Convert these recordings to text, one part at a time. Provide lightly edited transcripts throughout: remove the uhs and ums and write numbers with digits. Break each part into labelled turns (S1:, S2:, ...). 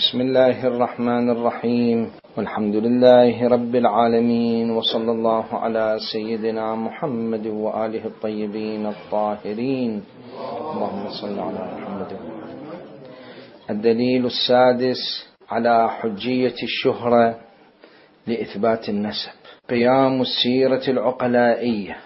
S1: بسم الله الرحمن الرحيم، والحمد لله رب العالمين، وصلى الله على سيدنا محمد وآله الطيبين الطاهرين. اللهم صل على محمد. الدليل السادس على حجية الشهرة لإثبات النسب: قيام السيرة العقلائية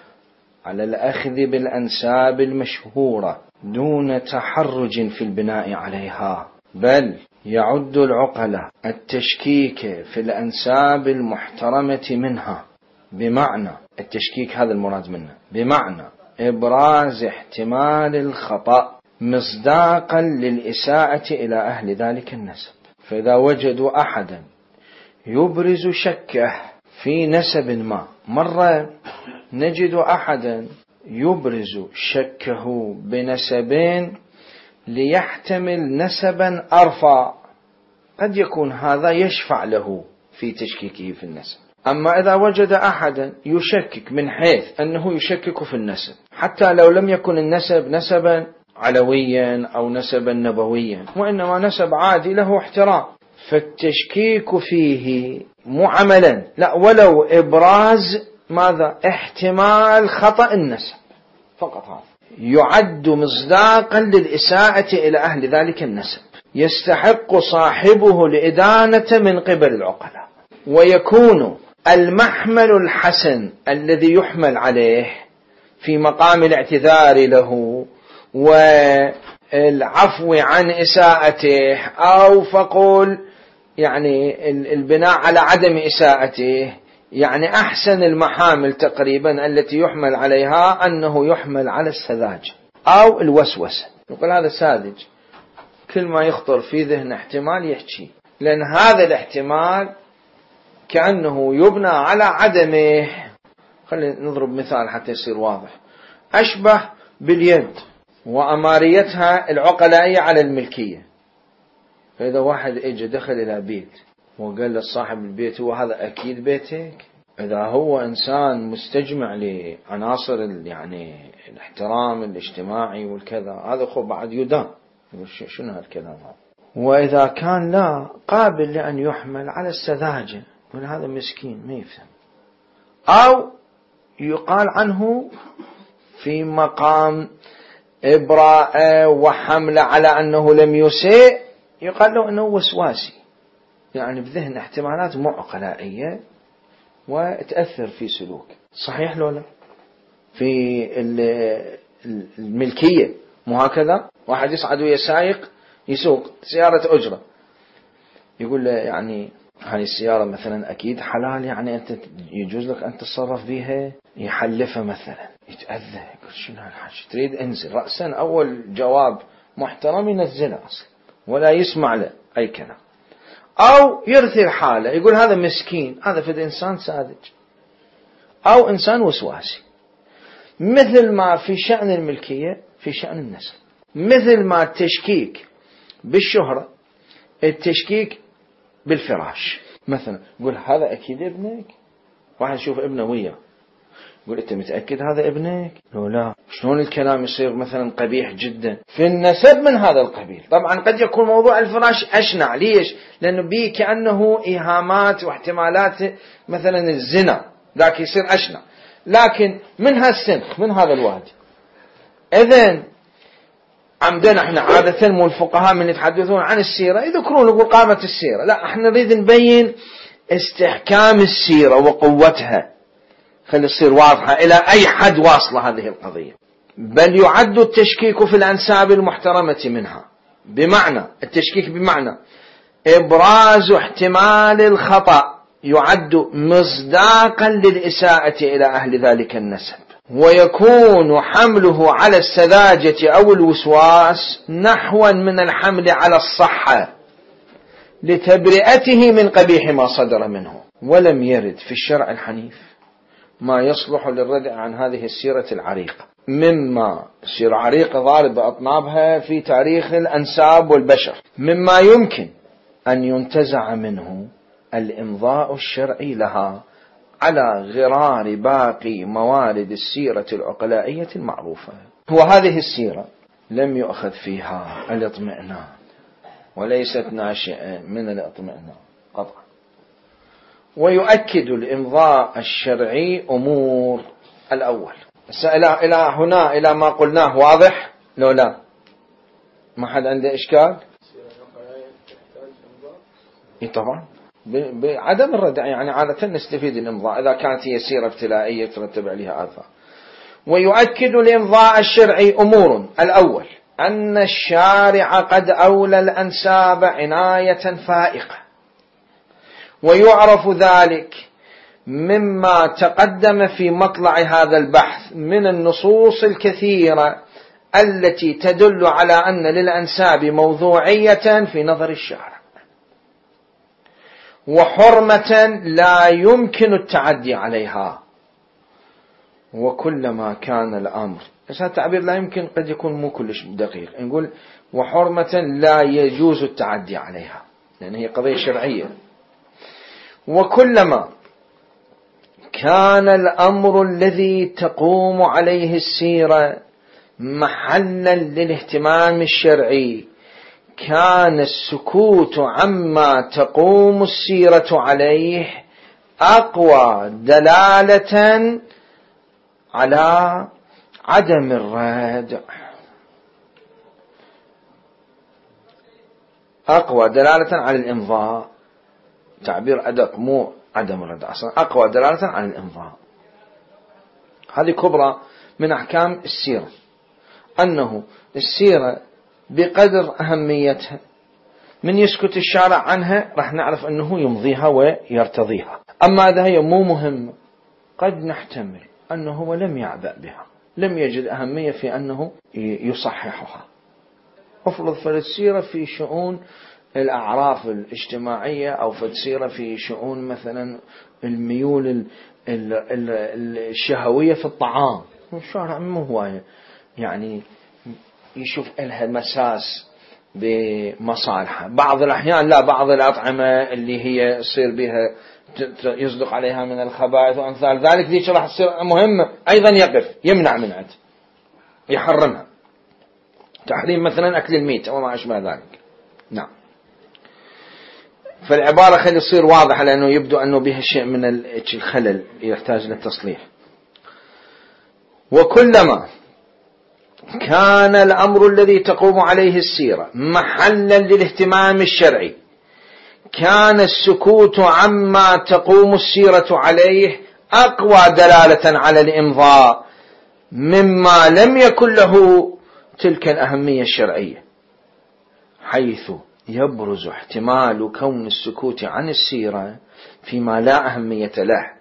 S1: على الأخذ بالأنساب المشهورة دون تحرج في البناء عليها، بل يعد العقلاء التشكيك في الأنساب المحترمة منها، بمعنى التشكيك هذا المراد منه، بمعنى إبراز احتمال الخطأ مصداقا للإساءة إلى أهل ذلك النسب. فإذا وجدوا أحدا يبرز شكه في نسب ما، مرة نجد أحدا يبرز شكه بنسبين ليحتمل نسبا أرفع، قد يكون هذا يشفع له في تشكيكه في النسب. أما إذا وجد أحدا يشكك من حيث أنه يشكك في النسب، حتى لو لم يكن النسب نسبا علويا أو نسبا نبويا، وإنما نسب عادي له احترام، فالتشكيك فيه مو عملا، لا، ولو إبراز ماذا؟ احتمال خطأ النسب فقط، هذا يعد مصداقا للإساءة إلى أهل ذلك النسب، يستحق صاحبه الإدانة من قبل العقلاء، ويكون المحمل الحسن الذي يحمل عليه في مقام الاعتذار له والعفو عن إساءته، أو فقول يعني البناء على عدم إساءته، يعني أحسن المحامل تقريبا التي يحمل عليها أنه يحمل على السذاجة أو الوسوسة. يقول هذا ساذج، كل ما يخطر في ذهن احتمال يحكي، لأن هذا الاحتمال كأنه يبنى على عدمه. خلينا نضرب مثال حتى يصير واضح. أشبه باليد وأماريتها العقلائية على الملكية. فإذا واحد اجى دخل إلى بيت وقال لصاحب البيت: هو هذا أكيد بيتك؟ إذا هو إنسان مستجمع لعناصر يعني الاحترام الاجتماعي والكذا، هذا خب بعد يدان. شنو هالكلام هذا؟ وإذا كان لا، قابل لأن يحمل على السذاجة، يقول هذا مسكين ما يفهم، أو يقال عنه في مقام إبراء وحمل على أنه لم يسيء، يقال له أنه وسواسي، يعني بذهن احتمالات معقلائية وتأثر في سلوك. صحيح لو لا؟ في الملكية مو هكذا؟ واحد يصعد ويسايق يسوق سيارة أجرة، يقول له يعني هاي السيارة مثلا أكيد حلال، يعني أنت يجوز لك أن تتصرف بها، يحلفها مثلا، يتأذى، يقول شنو هالحاجة، تريد انزل رأسا. أول جواب محترم ينزله أصلا ولا يسمع له أي كلام، أو يرثي حاله، يقول هذا مسكين، هذا فد إنسان ساذج أو إنسان وسواسي. مثل ما في شأن الملكية في شأن النسب، مثل ما التشكيك بالشهرة، التشكيك بالفراش. مثلا يقول هذا أكيد ابنك، واحد يشوف ابنه وياه يقول أنت متأكد هذا ابنك؟ لو لا، شلون الكلام يصير مثلا قبيح جدا في النسب من هذا القبيل. طبعا قد يكون موضوع الفراش أشنع، ليش؟ لأنه بيه كأنه إيهامات واحتمالات مثلا الزنا، ذاك يصير أشنع، لكن من هالسنخ من هذا الوادي. إذن عمدنا احنا عادة مو الفقهاء من يتحدثون عن السيرة يذكرون يقول قامت السيرة، لا، احنا نريد نبين استحكام السيرة وقوتها، خلي تصير واضحة إلى أي حد واصلة هذه القضية. بل يعد التشكيك في الأنساب المحترمة منها، بمعنى التشكيك بمعنى إبراز احتمال الخطأ، يعد مصداقا للإساءة إلى أهل ذلك النسب، ويكون حمله على السذاجة أو الوسواس نحوا من الحمل على الصحة لتبرئته من قبيح ما صدر منه. ولم يرد في الشرع الحنيف ما يصلح للردع عن هذه السيرة العريقة، مما سيرة عريقة ضارب بأطنابها في تاريخ الأنساب والبشر، مما يمكن أن ينتزع منه الإمضاء الشرعي لها على غرار باقي موارد السيرة العقلائية المعروفة. وهذه السيرة لم يؤخذ فيها الاطمئنان وليست ناشئة من الاطمئنان قطعا. ويؤكد الإمضاء الشرعي أمور. الأول إلى هنا إلى ما قلناه واضح لو لا؟ ما حد عنده إشكال؟ طبعا بعدم الردع، يعني عادة نستفيد الإمضاء إذا كانت هي سيرة ابتلائية ترتب عليها آثار. ويؤكد الإمضاء الشرعي أمور. الأول أن الشارع قد أولى الأنساب عناية فائقة، ويعرف ذلك مما تقدم في مطلع هذا البحث من النصوص الكثيرة التي تدل على أن للأنساب موضوعية في نظر الشارع، وحرمة لا يمكن التعدي عليها. وكلما كان الأمر، بس هذا التعبير لا يمكن قد يكون مو كلش دقيق، نقول وحرمة لا يجوز التعدي عليها، لأن هي قضية شرعية. وكلما كان الأمر الذي تقوم عليه السيرة محلا للاهتمام الشرعي كان السكوت عما تقوم السيرة عليه أقوى دلالة على عدم الردع، أقوى دلالة على الإمضاء، تعبير أدق مو عدم الردع، أصلا أقوى دلالة على الإمضاء. هذه كبرى من أحكام السيرة، أنه السيرة بقدر أهميتها من يسكت الشارع عنها راح نعرف أنه يمضيها ويرتضيها. أما إذا هي مو مهمة قد نحتمل أنه هو لم يعبأ بها، لم يجد أهمية في أنه يصححها. أفرض فالسيرة في شؤون الأعراف الاجتماعية، أو فالسيرة في شؤون مثلا الميول الشهوية في الطعام، الشارع مو هواية يعني يشوف لها مساس بمصالحها. بعض الأحيان لا، بعض الأطعمة اللي هي يصير بها يصدق عليها من الخبائث وأمثال ذلك، ذيك راح تصير مهمة أيضا يقف يمنع منها، يحرمها، تحريم مثلا أكل الميت وما أشبه ذلك. نعم. فالعبارة خلي يصير واضحة، لأنه يبدو أنه بها شيء من الخلل يحتاج للتصليح. وكلما كان الأمر الذي تقوم عليه السيرة محلا للاهتمام الشرعي كان السكوت عما تقوم السيرة عليه أقوى دلالة على الإمضاء مما لم يكن له تلك الأهمية الشرعية، حيث يبرز احتمال كون السكوت عن السيرة فيما لا أهمية له،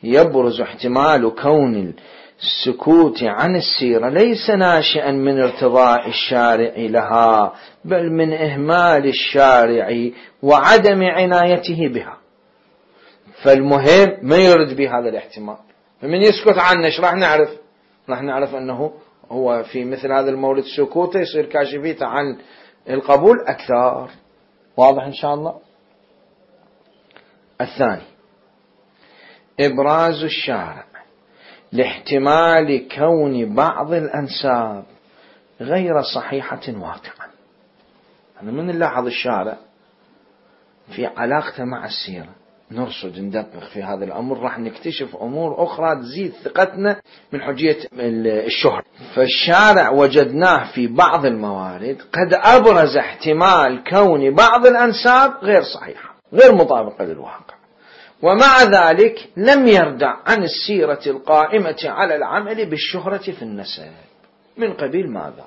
S1: يبرز احتمال كون السكوت عن السيرة ليس ناشئا من ارتضاء الشارع لها، بل من إهمال الشارع وعدم عنايته بها. فالمهم ما يرد بهذا الاحتمال، فمن يسكت عنه ايش راح نعرف؟ راح نعرف أنه هو في مثل هذا المورد سكوته يصير كاشفيته عن القبول أكثر. واضح إن شاء الله؟ الثاني إبراز الشارع لاحتمال كون بعض الأنساب غير صحيحة واقعا. أنا من نلاحظ الشارع في علاقته مع السيرة نرصد ندقق في هذا الأمر، راح نكتشف أمور أخرى تزيد ثقتنا من حجية الشهرة. فالشارع وجدناه في بعض الموارد قد أبرز احتمال كون بعض الأنساب غير صحيحة غير مطابقة للواقع، ومع ذلك لم يردع عن السيرة القائمة على العمل بالشهرة في النسب. من قبيل ماذا؟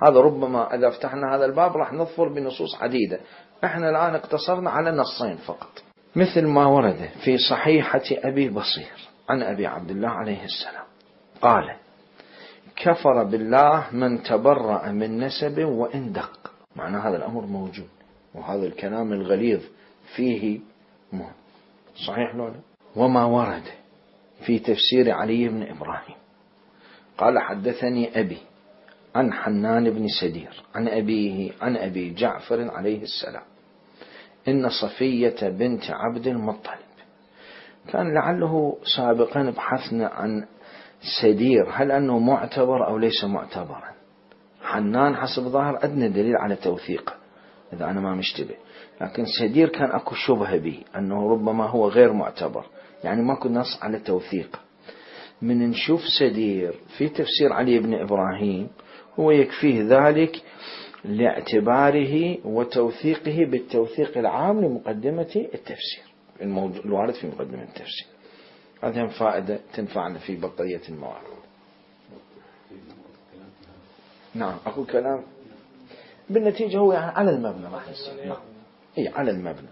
S1: هذا ربما إذا فتحنا هذا الباب راح نظفر بنصوص عديدة، احنا الآن اقتصرنا على نصين فقط، مثل ما ورد في صحيحة أبي بصير عن أبي عبد الله عليه السلام قال: كفر بالله من تبرأ من نسب وإن دق. معنى هذا الأمر موجود، وهذا الكلام الغليظ فيه مهم. صحيح لولا؟ وما ورد في تفسير علي بن إبراهيم قال: حدثني أبي عن حنان بن سدير عن أبيه عن أبي جعفر عليه السلام إن صفية بنت عبد المطلب. كان لعله سابقا بحثنا عن سدير هل أنه معتبر أو ليس معتبرا. حنان حسب ظاهر أدنى دليل على توثيقه، إذا أنا ما مشتبه. لكن سدير كان أكو شبهة به أنه ربما هو غير معتبر، يعني ماكو نص على توثيق. من نشوف سدير في تفسير علي بن إبراهيم هو يكفيه ذلك لاعتباره وتوثيقه بالتوثيق العام لمقدمة التفسير الوارد في مقدمة التفسير. هذه فائدة تنفعنا في بقية الموارد. نعم أقول كلام بالنتيجة هو يعني على المبنى راح يصير. نعم إيه على المبنى.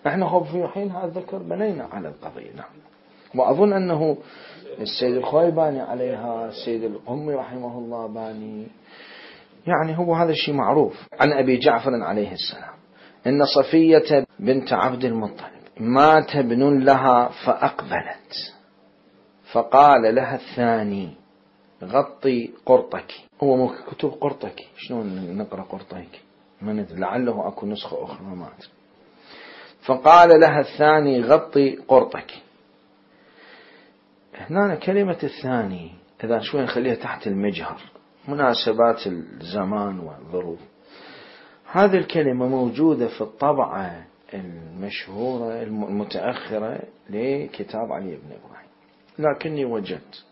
S1: نحن هو في حين هذا الذكر بنينا على القضية. نعم. وأظن أنه السيد الخوي باني عليها، السيد القمي رحمه الله باني، يعني هو هذا الشيء معروف. عن أبي جعفر عليه السلام إن صفية بنت عبد المطلب مات ابن لها فأقبلت فقال لها الثاني غطي قرطك. هو مو كتب قرطك، شلون نقرأ قرطك؟ لعله أكو نسخة أخرى ما أدري. فقال لها الثاني غطي قرطك. هنا كلمة الثاني إذا شوي نخليها تحت المجهر، مناسبات الزمان والظروف. هذه الكلمة موجودة في الطبعة المشهورة المتأخرة لكتاب علي بن إبراهيم، لكني وجدت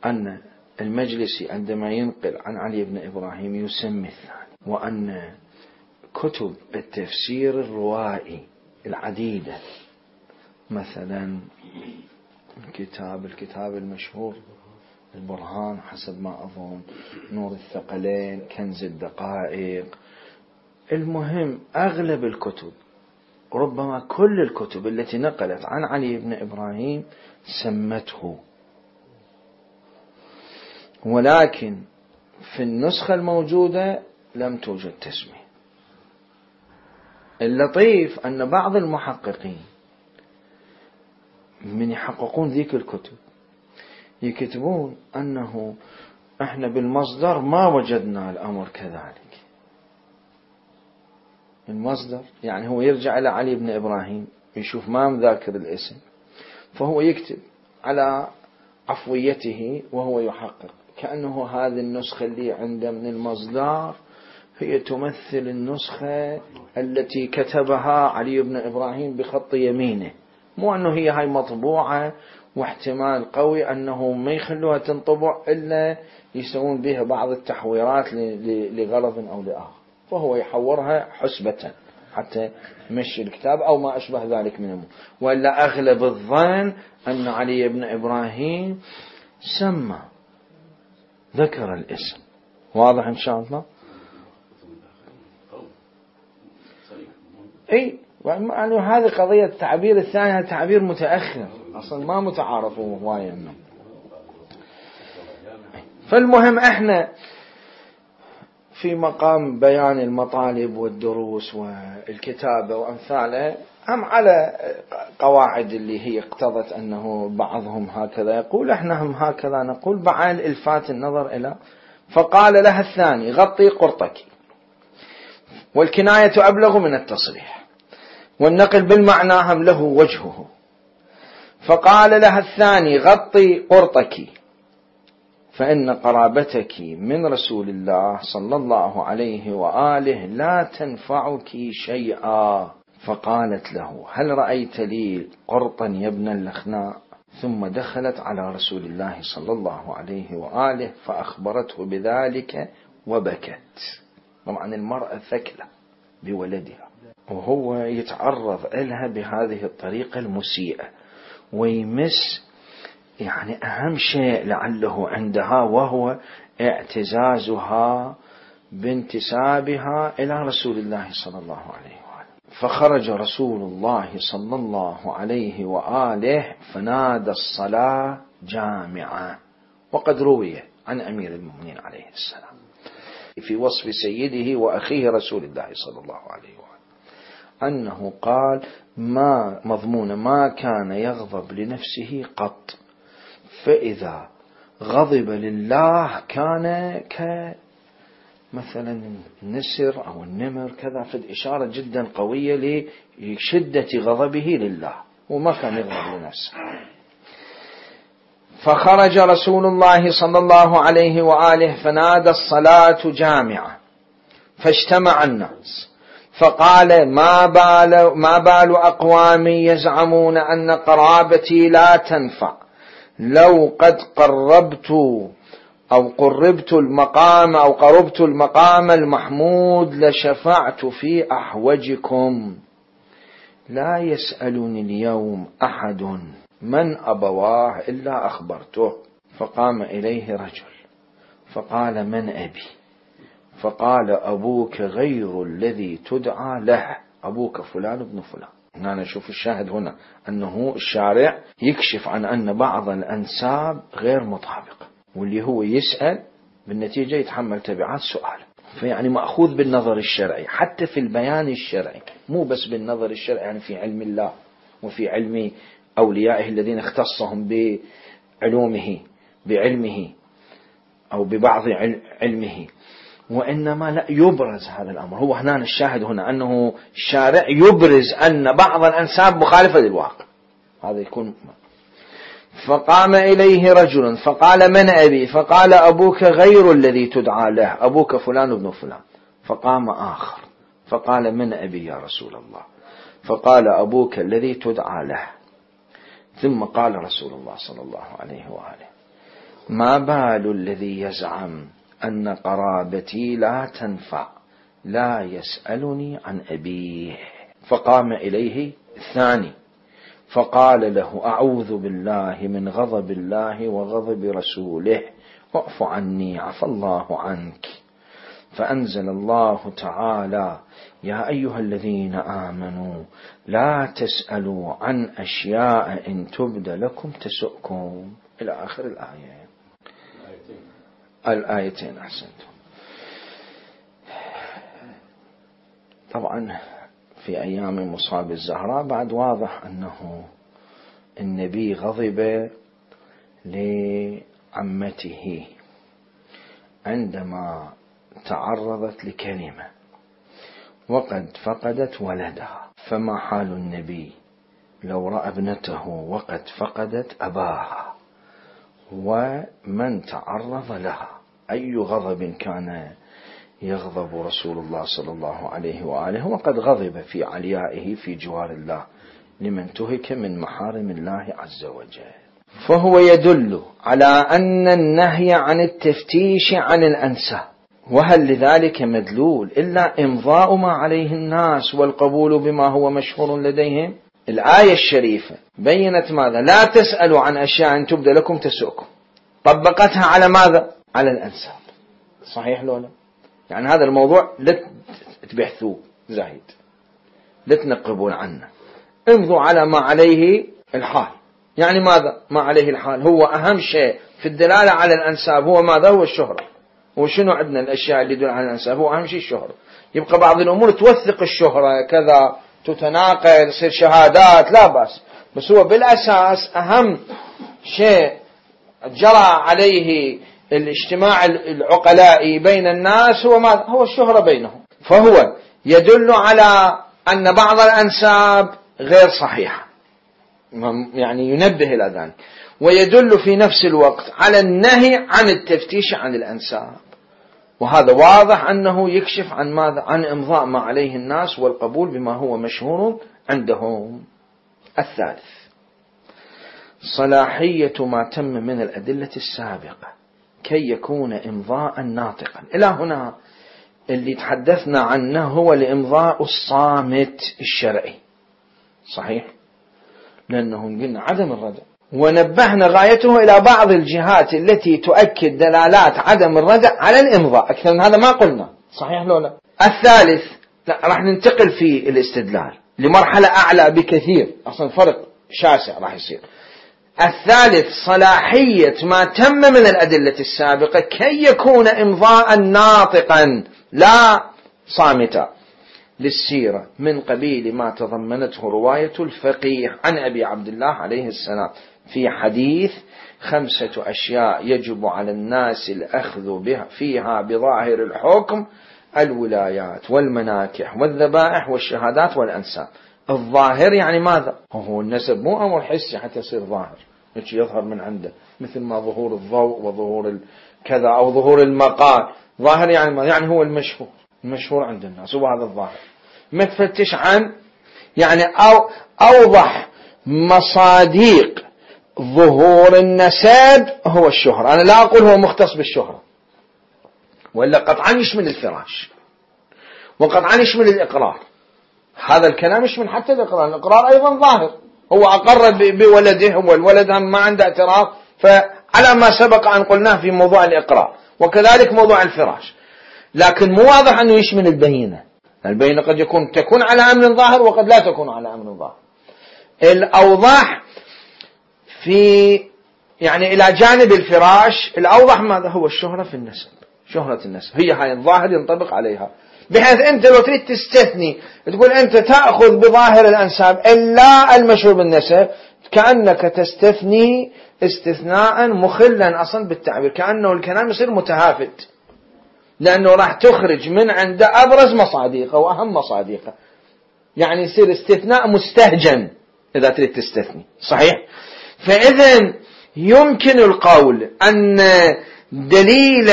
S1: أن المجلسي عندما ينقل عن علي بن إبراهيم يسمي الثاني، وأن كتب التفسير الروائي العديدة مثلا الكتاب المشهور البرهان حسب ما أظن، نور الثقلين، كنز الدقائق، المهم أغلب الكتب ربما كل الكتب التي نقلت عن علي بن إبراهيم سمته، ولكن في النسخة الموجودة لم توجد تسمية. اللطيف أن بعض المحققين من يحققون ذيك الكتب يكتبون أنه احنا بالمصدر ما وجدنا الأمر كذلك. المصدر يعني هو يرجع إلى علي بن إبراهيم يشوف ما مذاكر الاسم، فهو يكتب على عفويته وهو يحقق كأنه هذه النسخة اللي عنده من المصدر هي تمثل النسخة التي كتبها علي بن إبراهيم بخط يمينه، مو أنه هي هاي مطبوعة واحتمال قوي أنه ما يخلوها تنطبع إلا يسوون بها بعض التحويرات لغرض أو لآخر، فهو يحورها حسبة حتى يمشي الكتاب أو ما أشبه ذلك من أمور. وإلا أغلب الظن أن علي بن إبراهيم سمى ذكر الاسم. واضح إن شاء الله؟ أي يعني هذه قضية التعبير الثاني، هذا تعبير متأخر أصلا ما متعارف هواية منه. فالمهم احنا في مقام بيان المطالب والدروس والكتابة وأمثالها هم على قواعد اللي هي اقتضت أنه بعضهم هكذا يقول، احنا هم هكذا نقول بعد الفات النظر إلى. فقال لها الثاني غطي قرطك، والكناية أبلغ من التصريح، والنقل بالمعنى هم له وجهه. فقال لها الثاني غطي قرطك فإن قرابتك من رسول الله صلى الله عليه وآله لا تنفعك شيئا. فقالت له هل رأيت لي قرطا يا ابن اللخناء؟ ثم دخلت على رسول الله صلى الله عليه وآله فأخبرته بذلك وبكت. طبعا المرأة ثكلة بولدها وهو يتعرض لها بهذه الطريقة المسيئة ويمس يعني أهم شيء لعله عندها وهو اعتزازها بانتسابها إلى رسول الله صلى الله عليه وآله. فخرج رسول الله صلى الله عليه وآله فنادى الصلاة جامعة. وقد روي عن أمير المؤمنين عليه السلام في وصف سيده وأخيه رسول الله صلى الله عليه وآله أنه قال ما مضمون ما كان يغضب لنفسه قط، فإذا غضب لله كان كمثلا النسر أو النمر كذا، فد إشارة جدا قوية لشدة غضبه لله وما كان يغضب لنفسه. فخرج رسول الله صلى الله عليه وآله فنادى الصلاة جامعة فاجتمع الناس فقال ما بال أقوام يزعمون أن قرابتي لا تنفع، لو قد قربت المقام المحمود لشفعت في أحوجكم، لا يسألني اليوم أحد من أبواه إلا أخبرته. فقام إليه رجل فقال: من أبي؟ فقال: أبوك غير الذي تدعى له، أبوك فلان ابن فلان. هنا نشوف الشاهد هنا أنه الشارع يكشف عن أن بعض الأنساب غير مطابقة، واللي هو يسأل بالنتيجة يتحمل تبعات سؤاله. فيعني مأخوذ بالنظر الشرعي حتى في البيان الشرعي، مو بس بالنظر الشرعي، يعني في علم الله وفي علم أوليائه الذين اختصهم بعلمه أو ببعض علمه، وإنما لا يبرز هذا الأمر. هو هنا الشاهد هنا أنه الشارع يبرز أن بعض الأنساب مخالفة للواقع، هذا يكون. فقام إليه رجل فقال: من أبي؟ فقال: أبوك غير الذي تدعى له، أبوك فلان ابن فلان. فقام آخر فقال: من أبي يا رسول الله؟ فقال: أبوك الذي تدعى له. ثم قال رسول الله صلى الله عليه وآله: ما بال الذي يزعم أن قرابتي لا تنفع، لا يسألني عن أبيه. فقام إليه الثاني فقال له: أعوذ بالله من غضب الله وغضب رسوله، واعف عني عفى الله عنك. فأنزل الله تعالى: يا أيها الذين آمنوا لا تسألوا عن أشياء إن تبد لكم تسؤكم، إلى آخر الآيتين. أحسنتم. طبعا في أيام مصاب الزهراء بعد واضح أنه النبي غضب لعمته عندما تعرضت لكلمة وقد فقدت ولدها، فما حال النبي لو رأى ابنته وقد فقدت أباها ومن تعرض لها؟ أي غضب كان يغضب رسول الله صلى الله عليه وآله، وقد غضب في عليائه في جوار الله لمن تهك من محارم الله عز وجل. فهو يدل على أن النهي عن التفتيش عن الأنساب، وهل لذلك مدلول إلا إمضاء ما عليه الناس والقبول بما هو مشهور لديهم؟ الآية الشريفة بينت ماذا؟ لا تسألوا عن أشياء تبد لكم تسؤكم، طبقتها على ماذا؟ على الأنساب. صحيح لولا؟ يعني هذا الموضوع لا تبحثوه زايد، لا تنقبون عنه، امضوا على ما عليه الحال. يعني ماذا ما عليه الحال؟ هو أهم شيء في الدلالة على الأنساب هو ماذا؟ هو الشهرة. وشنو عندنا الأشياء اللي تدل على الأنساب؟ هو أهم شيء الشهرة. يبقى بعض الأمور توثق الشهرة كذا، تتناقل، تصير شهادات، لا بأس، بس هو بالأساس أهم شيء جرى عليه الاجتماع العقلائي بين الناس هو ماذا؟ هو الشهرة بينهم. فهو يدل على أن بعض الأنساب غير صحيحة، يعني ينبه إلى ذلك، ويدل في نفس الوقت على النهي عن التفتيش عن الأنساب. وهذا واضح أنه يكشف عن ماذا؟ عن إمضاء ما عليه الناس والقبول بما هو مشهور عندهم. الثالث صلاحية ما تم من الأدلة السابقة كي يكون إمضاء ناطقا. إلى هنا اللي تحدثنا عنه هو الإمضاء الصامت الشرعي، صحيح؟ لأنه قلنا عدم الردع، ونبهنا غايته إلى بعض الجهات التي تؤكد دلالات عدم الردع على الإمضاء. أكثر من هذا ما قلنا، صحيح لو لا؟ الثالث، لا راح ننتقل في الاستدلال لمرحلة أعلى بكثير، أصلا فرق شاسع راح يصير. الثالث صلاحية ما تم من الأدلة السابقة كي يكون إمضاء ناطقا لا صامتا للسيرة من قبيل ما تضمنته رواية الفقيه عن أبي عبد الله عليه السلام في حديث 5 أشياء يجب على الناس الأخذ بها فيها بظاهر الحكم: الولايات والمناكح والذبائح والشهادات والأنساب. الظاهر يعني ماذا؟ هو النسب مو أمر حسي حتى يصير ظاهر، يظهر من عنده، مثل ما ظهور الضوء وظهور كذا أو ظهور المقال. ظاهر يعني ماذا؟ يعني هو المشهور عند الناس، وهذا الظاهر. ما تفتش عن يعني أوضح مصاديق ظهور النسب هو الشهرة. أنا لا أقول هو مختص بالشهرة، ولا قطعا يشمل الفراش، وقطعا يشمل الإقرار. هذا الكلام يشمل حتى الإقرار أيضا ظاهر، هو أقر بولده والولد ما عنده اعتراف، فعلى ما سبق أن قلناه في موضوع الإقرار، وكذلك موضوع الفراش. لكن مو واضح أنه يشمل البينة. البينة قد تكون على أمر ظاهر، وقد لا تكون على أمر ظاهر. الأوضح في يعني إلى جانب الفراش، الأوضح ماذا هو الشهرة في النسب، شهرة النسب هي هاي الظاهر ينطبق عليها، بحيث أنت لو تريد تستثني تقول أنت تأخذ بظاهر الأنساب إلا المشهور بالنسب، كأنك تستثني استثناء مخلا أصلا بالتعبير، كأنه الكلام يصير متهافت، لأنه راح تخرج من عند أبرز مصادقه وأهم مصادقه، يعني يصير استثناء مستهجن إذا تريد تستثني. صحيح؟ فإذن يمكن القول أن دليل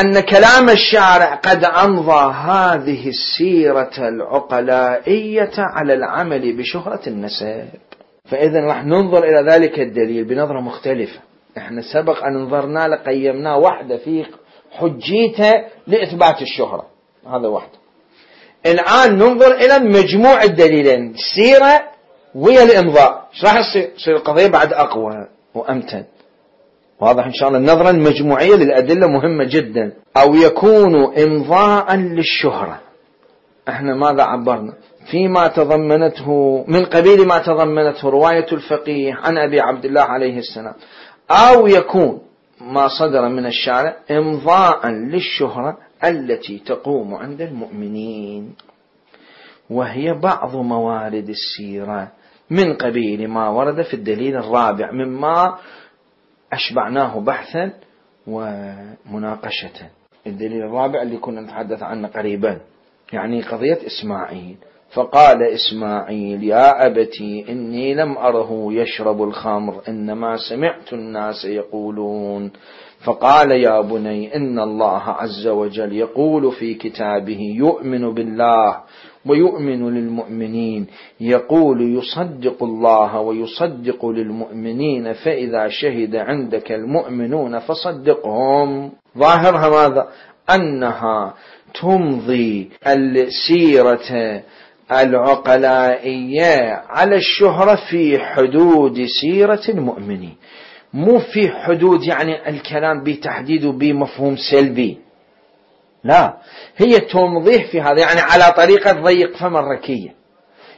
S1: أن كلام الشارع قد أمضى هذه السيرة العقلائية على العمل بشهرة النسب. فإذن راح ننظر إلى ذلك الدليل بنظرة مختلفة. احنا سبق أن نظرنا لقيمنا واحدة في حجيته لإثبات الشهرة، هذا واحدة. الآن ننظر إلى مجموع الدليلين، السيرة ويا الإمضاء، ايش راح يصير القضية بعد أقوى وأمتن. واضح إن شاء الله. النظرة المجموعية للأدلة مهمة جدا. أو يكون إمضاء للشهرة، احنا ماذا عبرنا فيما تضمنته من قبيل ما تضمنته رواية الفقيه عن أبي عبد الله عليه السلام، أو يكون ما صدر من الشارع إمضاء للشهرة التي تقوم عند المؤمنين، وهي بعض موارد السيرة من قبيل ما ورد في الدليل الرابع مما أشبعناه بحثا ومناقشة. الدليل الرابع اللي كنا نتحدث عنه قريبا، يعني قضية إسماعيل. فقال إسماعيل يا أبتي إني لم أره يشرب الخمر، إنما سمعت الناس يقولون. فقال يا بني إن الله عز وجل يقول في كتابه يؤمن بالله ويؤمن للمؤمنين، يقول يصدق الله ويصدق للمؤمنين، فإذا شهد عندك المؤمنون فصدقهم. ظاهرها ماذا؟ أنها تمضي السيرة العقلائية على الشهرة في حدود سيرة المؤمنين، مو في حدود يعني الكلام بتحديد بمفهوم سلبي، لا، هي تمضيه في هذا، يعني على طريقة ضيق فم الركية،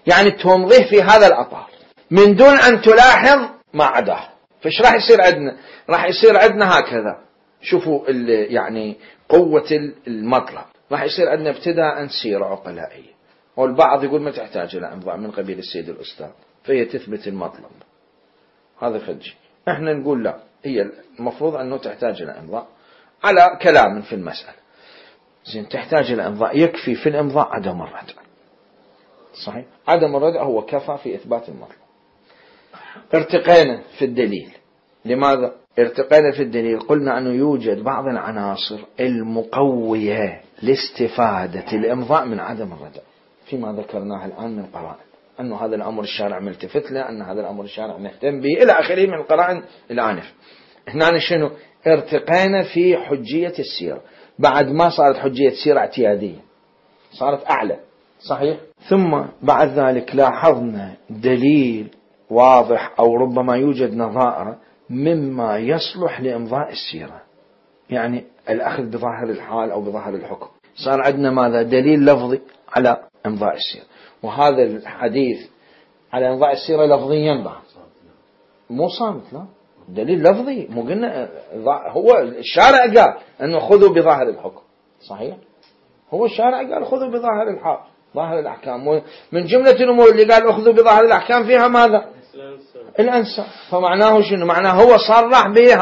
S1: يعني تمضيه في هذا الأطار من دون أن تلاحظ ما عداه. فايش راح يصير عندنا؟ راح يصير عندنا هكذا، شوفوا يعني قوة المطلب. راح يصير عندنا ابتداء سيرة عقلائية، والبعض يقول ما تحتاج إلى إمضاء من قبيل السيد الأستاذ، فهي تثبت المطلب. هذا خدش. احنا نقول لا، هي المفروض أنه تحتاج إلى إمضاء على كلام في المسألة. زين، تحتاج إلى إمضاء، يكفي في الإمضاء عدم الردع. صحيح، عدم الردع هو كفى في إثبات المطلب. ارتقينا في الدليل. لماذا ارتقينا في الدليل؟ قلنا أنه يوجد بعض العناصر المقوية لاستفادة الإمضاء من عدم الردع، فيما ذكرناه الآن من قرائن، أنه هذا الأمر الشارع ملتفت له، أن هذا الأمر الشارع مهتم به، إلى آخره من القرائن الآنف. هنا شنو؟ ارتقينا في حجية السيرة، بعد ما صارت حجية سيرة اعتيادية، صارت أعلى. صحيح. ثم بعد ذلك لاحظنا دليل واضح أو ربما يوجد نظائر مما يصلح لإمضاء السيرة، يعني الأخذ بظاهر الحال أو بظاهر الحكم. صار عندنا ماذا؟ دليل لفظي على إمضاء السيرة، وهذا الحديث على إمضاء السيرة لفظيا بعد، مو صامت، لا، دليل لفظي. مو قلنا هو الشارع قال أنه خذوا بظاهر الحكم. صحيح، هو الشارع قال خذوا بظاهر الحال، ظاهر الأحكام. من جملة الأمور اللي قال أخذوا بظاهر الأحكام فيها ماذا؟ الأنساب. فمعناه شنو؟ معناه هو صرح به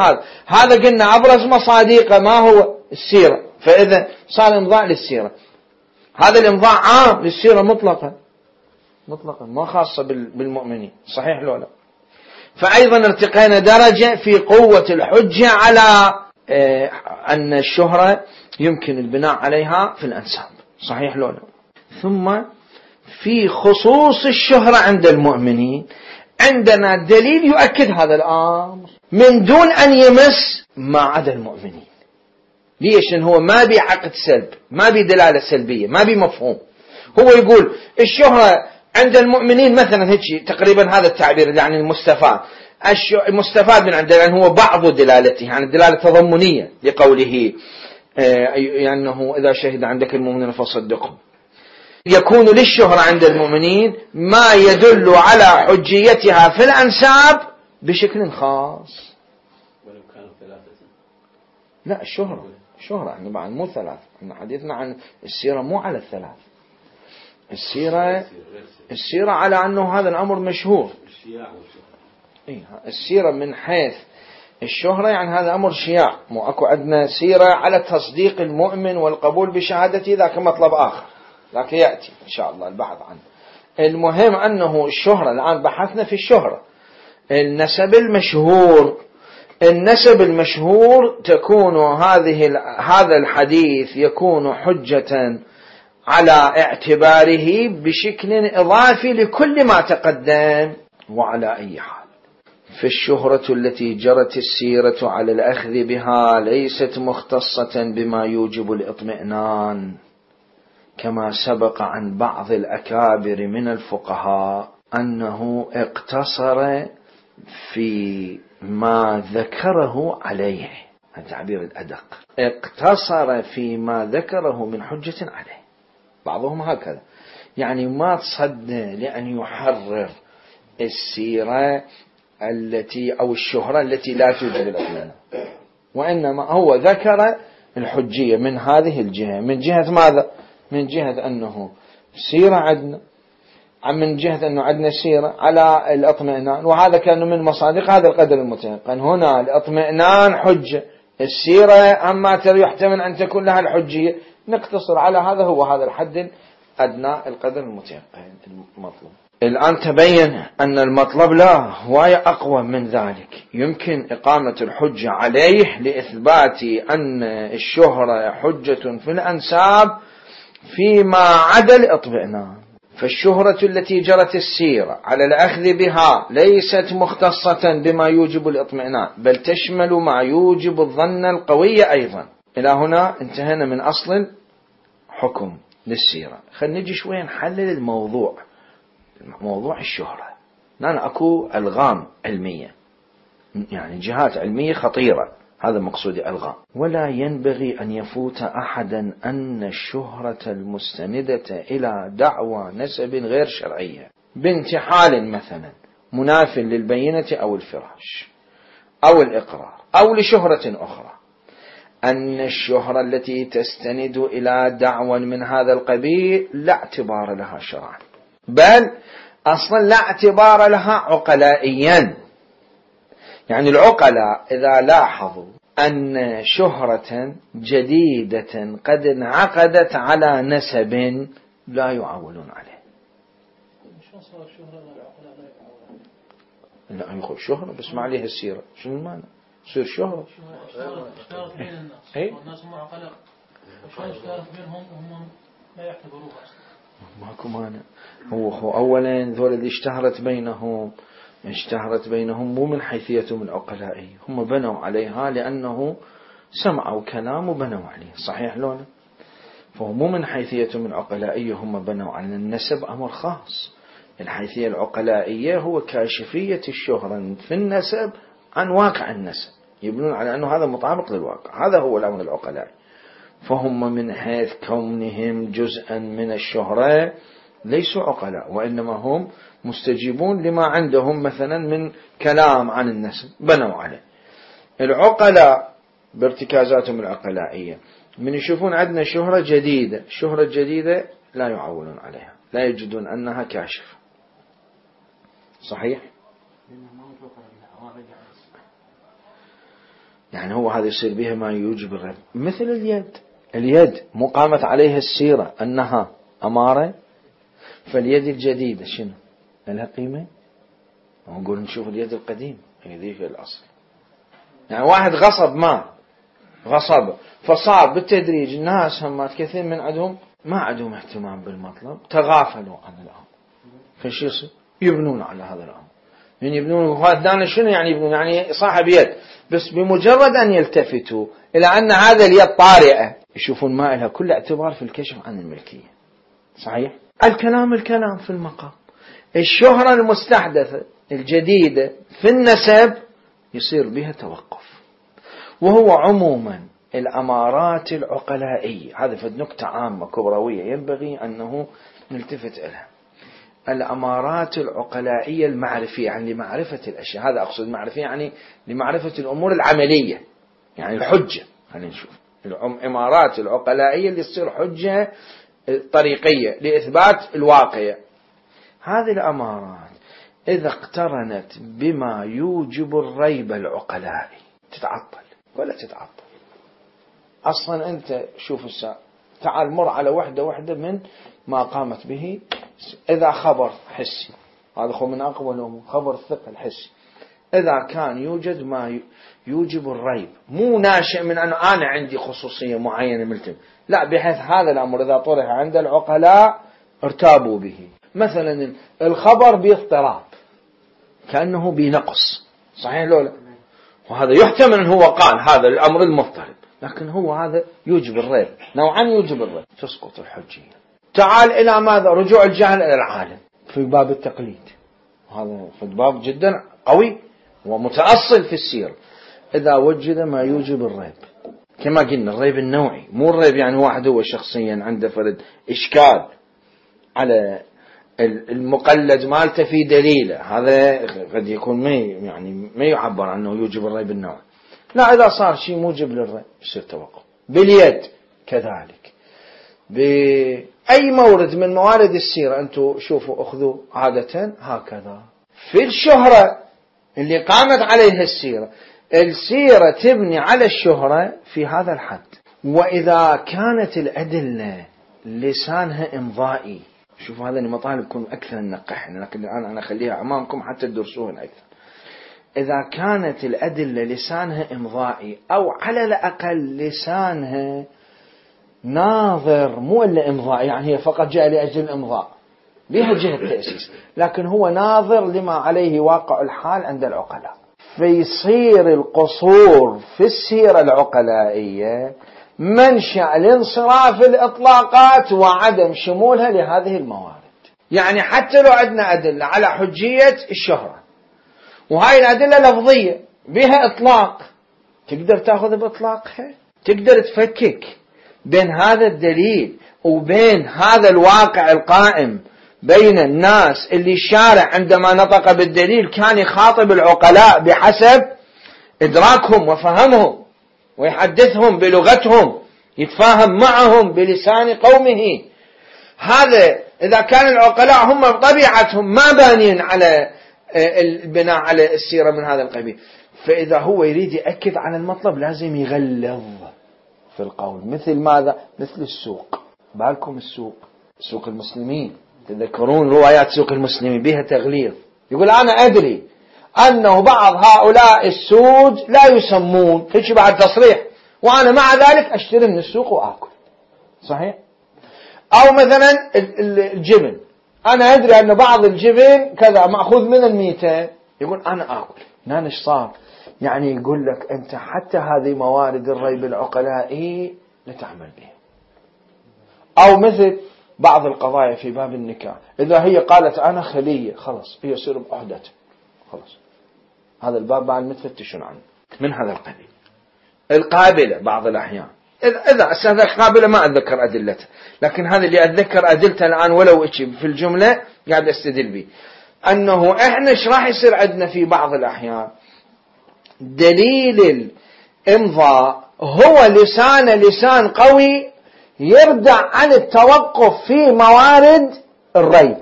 S1: هذا قلنا أبرز مصادقه ما هو؟ السيرة. فإذا صار إمضاء للسيرة، هذا الإمضاء عام للسيرة مطلقا ما خاصة بالمؤمنين. صحيح لو لا؟ فأيضا ارتقينا درجة في قوة الحجة على أن الشهرة يمكن البناء عليها في الأنساب. صحيح لو لا؟ ثم في خصوص الشهرة عند المؤمنين عندنا دليل يؤكد هذا الأمر من دون أن يمس ما عدا المؤمنين. ليش؟ لأن هو ما بي عقد سلب، ما بي دلالة سلبية، ما بي مفهوم. هو يقول الشهرة عند المؤمنين مثلا هيك تقريبا هذا التعبير يعني المستفاد من عنده، لأن هو بعض دلالته يعني الدلالة التضمنية لقوله أنه إذا شهد عندك المؤمنين فصدقهم. يكون للشهرة عند المؤمنين ما يدل على حجيتها في الأنساب بشكل خاص.
S2: ولو كانوا ثلاثة.
S1: لا الشهرة يعني بعد مو ثلاث، احنا حديثنا عن السيرة مو على الثلاث. السيرة على أنه هذا الأمر مشهور. السيرة من حيث الشهرة يعني هذا أمر شياع، مو أكو عندنا سيرة على تصديق المؤمن والقبول بشهادته، ذاك مطلب آخر، لكن يأتي إن شاء الله البحث عنه. المهم أنه الشهرة الآن بحثنا في الشهرة. النسب المشهور تكون هذا الحديث يكون حجة على اعتباره بشكل إضافي لكل ما تقدم. وعلى أي حال فالشهرة التي جرت السيرة على الأخذ بها ليست مختصة بما يوجب الإطمئنان، كما سبق عن بعض الأكابر من الفقهاء أنه اقتصر في ما ذكره عليه، التعبير الأدق، اقتصر في ما ذكره من حجة عليه. بعضهم هكذا يعني ما تصدى لأن يحرر السيرة التي أو الشهرة التي لا توجد الأطمئنان، وإنما هو ذكر الحجية من هذه الجهة. من جهة ماذا؟ من جهة أنه سيرة عندنا، من جهة أنه عندنا سيرة على الأطمئنان، وهذا كان من مصادق هذا القدر المتيقن. هنا الأطمئنان حجة، السيرة أما يحتمل أن تكون لها الحجية، نقتصر على هذا، هو هذا الحد الأدنى القدر المتيقن المطلوب. الآن تبين أن المطلب لا هواية أقوى من ذلك، يمكن إقامة الحجة عليه لإثبات أن الشهرة حجة في الأنساب فيما عدا الإطمئنان. فالشهرة التي جرت السيرة على الأخذ بها ليست مختصة بما يوجب الإطمئنان، بل تشمل ما يوجب الظن القوي أيضا. إلى هنا انتهينا من أصل حكم للسيرة. خلينا نجي شوية نحلل الموضوع، موضوع الشهرة. لأن أكو ألغام علمية، يعني جهات علمية خطيرة، هذا مقصودي ألغام. ولا ينبغي أن يفوت أحدا أن الشهرة المستندة إلى دعوى نسب غير شرعية بانتحال مثلا مناف للبينة أو الفراش أو الإقرار أو لشهرة أخرى، أن الشهرة التي تستند إلى دعوى من هذا القبيل لا اعتبار لها شرعا، بل أصلا لا اعتبار لها عقلائيا. يعني العقلاء إذا لاحظوا أن شهرة جديدة قد انعقدت على نسب لا يعولون عليه. لا يقول شهرة بس ما عليها السيرة، شنو المعنى؟ تصير شهرة
S3: اشتهرت بين الناس والناس هم عقلاء، وشلون اشتهرت بينهم وهم لا يعتبروها أصلا؟
S1: ماكو مانع. هو أولا ذول اللي اشتهرت بينهم مو من حيثيتهم العقلائية، هم بنوا عليها لأنه سمعوا كلام وبنوا عليه، صحيح لولا؟ فهو مو من حيثيتهم العقلائية هم بنوا على النسب، أمر خاص. الحيثية العقلائية هو كاشفية الشهرة في النسب عن واقع النسب، يبنون على أنه هذا مطابق للواقع، هذا هو الأمر العقلائي. فهم من حيث كونهم جزءا من الشهرة ليسوا عقلاء، وإنما هم مستجيبون لما عندهم مثلا من كلام عن النسب بنوا عليه. العقلاء بارتكازاتهم العقلائية من يشوفون عندنا شهرة جديدة، الشهرة الجديدة لا يعولون عليها، لا يجدون أنها كاشفة. صحيح؟ يعني هو هذا يصير بها ما يوجب الرد. مثل اليد مقامت عليها السيرة أنها أمارة، فاليد الجديدة شنو لها قيمة؟ ونقول نشوف اليد القديم هي ذيك الأصل. يعني واحد غصب فصار بالتدريج الناس همات كثير من عندهم ما عندهم اهتمام بالمطلب، تغافلوا عن الأمر، فشو يصير؟ يبنون على هذا الأمر. يعني يبنون هذا شنو يعني يبنون؟ يعني صاحب يد، بس بمجرد أن يلتفتوا إلى أن هذا اليد طارئة يشوفون ما لها كل اعتبار في الكشف عن الملكية. صحيح؟ الكلام في المقام. الشهرة المستحدثة الجديدة في النسب يصير بها توقف. وهو عموما الأمارات العقلائية، هذا في نكتة عامة كبروية ينبغي أنه نلتفت إليها. الأمارات العقلائية المعرفية، يعني لمعرفة الأشياء، هذا أقصد معرفية يعني لمعرفة الأمور العملية، يعني الحجة. خلينا نشوف الأمارات العقلائية اللي تصير حجة طريقية لإثبات الواقع. هذه الأمارات إذا اقترنت بما يوجب الريب العقلائي تتعطل ولا تتعطل. أصلا أنت شوف الساعة، تعال مر على وحدة من ما قامت به. إذا خبر حسي، هذا هو من أقوى الأمور، خبر الثقة الحسي، إذا كان يوجد ما يوجب الريب، مو ناشئ من أن أنا عندي خصوصية معينة ملتم، لا، بحيث هذا الأمر إذا طرح عند العقلاء ارتابوا به. مثلا الخبر باضطراب كأنه بنقص، صحيح لولا؟ وهذا يحتمل أن هو قال هذا الأمر المضطرب، لكن هو هذا يوجب الريب، نوعا يوجب الريب، تسقط الحجية. تعال إلى ماذا؟ رجوع الجهل إلى العالم في باب التقليد، هذا في باب جدا قوي ومتأصل في السير. إذا وجد ما يوجب الريب، كما قلنا الريب النوعي، مو الريب يعني واحد هو شخصيا عنده فرد إشكال على المقلد مالته في دليله، هذا قد يكون ما يعبر عنه يوجب الريب النوعي. لا، إذا صار شيء موجب للريب يصير توقف. باليد كذلك، بأي مورد من موارد السيرة أنتم شوفوا أخذوا عادة هكذا. في الشهرة اللي قامت عليها السيرة تبني على الشهرة في هذا الحد. وإذا كانت الأدلة لسانها إمضائي، شوفوا هذا المطالب يكون أكثر نقحنا، لكن الآن أنا أخليها أمامكم حتى تدرسوهن أكثر. إذا كانت الأدلة لسانها إمضائي، أو على الأقل لسانها ناظر، مو إلا إمضاء يعني هي فقط جاء لأجل الإمضاء بها جهة التأسيس، لكن هو ناظر لما عليه واقع الحال عند العقلاء، فيصير القصور في السيرة العقلائية منشأ لانصراف الإطلاقات وعدم شمولها لهذه الموارد. يعني حتى لو عندنا أدلة على حجية الشهرة، وهاي الأدلة لفظية بها إطلاق، تقدر تأخذ بإطلاقها، تقدر تفكك بين هذا الدليل وبين هذا الواقع القائم بين الناس، اللي الشارع عندما نطق بالدليل كان يخاطب العقلاء بحسب إدراكهم وفهمهم، ويحدثهم بلغتهم، يتفاهم معهم بلسان قومه. هذا إذا كان العقلاء هم بطبيعتهم ما بانين على البناء على السيرة من هذا القبيل، فإذا هو يريد يأكد على المطلب لازم يغلظ في القول. مثل ماذا؟ مثل السوق، بالكم سوق المسلمين، تذكرون روايات سوق المسلمين بها تغليظ، يقول أنا أدري أنه بعض هؤلاء السود لا يسمون، هيك بعد تصريح، وأنا مع ذلك أشتري من السوق وآكل. صحيح؟ أو مثلا الجبن، أنا أدري أن بعض الجبن كذا مأخوذ من الميتة، يقول أنا آكل. نانش صار يعني يقول لك أنت حتى هذه موارد الريب العقلائي لتعمل بها. أو مثل بعض القضايا في باب النكاح، إذا هي قالت أنا خلية، خلاص هي يصير بأحدته، خلاص هذا الباب بعد متفتشون عنه من هذا القبيل. القابلة بعض الأحيان، إذا هذا القابلة ما أتذكر أدلته، لكن هذا اللي أتذكر أدلته الآن ولو في الجملة قاعد أستدل به، أنه إحنا إيش راح يصير عندنا في بعض الأحيان دليل الإمضاء هو لسان قوي يردع عن التوقف في موارد الريب.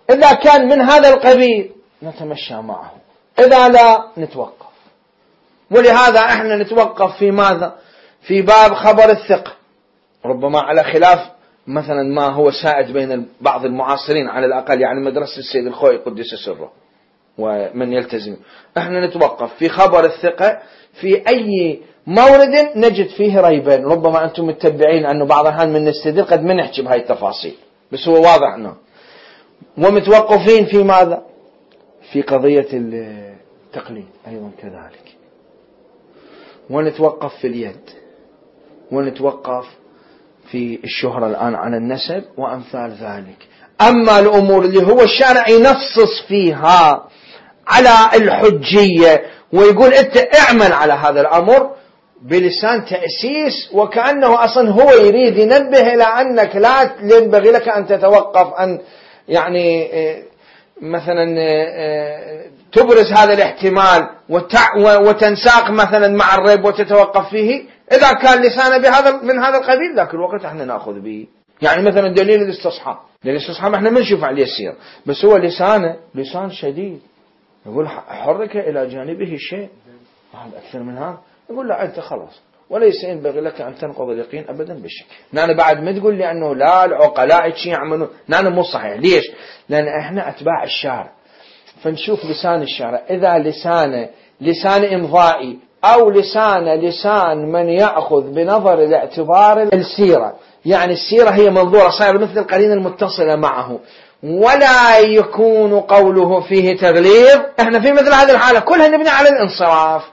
S1: إذا كان من هذا القبيل نتمشى معه، إذا لا نتوقف. ولهذا إحنا نتوقف في ماذا؟ في باب خبر الثقة، ربما على خلاف مثلا ما هو سائد بين بعض المعاصرين على الأقل، يعني مدرسة السيد الخوئي قدس سره، ومن يلتزم. احنا نتوقف في خبر الثقة في أي مورد نجد فيه ريبين، ربما أنتم متبعين أنه بعض الأحيان من نستدل قد ما نحكي بهاي التفاصيل، بس هو واضح أنه ومتوقفين في ماذا؟ في قضية التقليد أيضا كذلك، ونتوقف في اليد، ونتوقف في الشهرة الآن على النسب وأمثال ذلك. أما الأمور اللي هو الشارع ينصص فيها على الحجية ويقول أنت اعمل على هذا الأمر بلسان تأسيس، وكأنه أصلا هو يريد ينبه إلى أنك لا ينبغي لك أن تتوقف، أن يعني مثلا تبرز هذا الاحتمال وتنساق مثلا مع الريب وتتوقف فيه. إذا كان لسانه بهذا من هذا القبيل ذاك الوقت احنا نأخذ به. يعني مثلا دليل الاستصحاب، دليل الاستصحاب احنا ما نشوف عليه السير، بس هو لسانه لسان شديد، يقول حرك إلى جانبه شيء أكثر من هذا، يقول لا أنت خلاص وليس ينبغي لك أن تنقض اليقين أبدا بالشك. نحن بعد ما تقول لي أنه لا العقلاء شيء يعملون، نحن مو صحيح. ليش؟ لأن إحنا أتباع الشارع، فنشوف لسان الشارع، إذا لسان إمضائي أو لسان من يأخذ بنظر الاعتبار السيرة، يعني السيرة هي منظورة صاير مثل القرينة المتصلة معه، ولا يكون قوله فيه تغليظ، احنا في مثل هذه الحالة كلها نبني على الانصراف،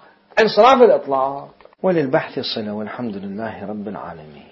S1: انصراف الإطلاق. وللبحث صلة، والحمد لله رب العالمين.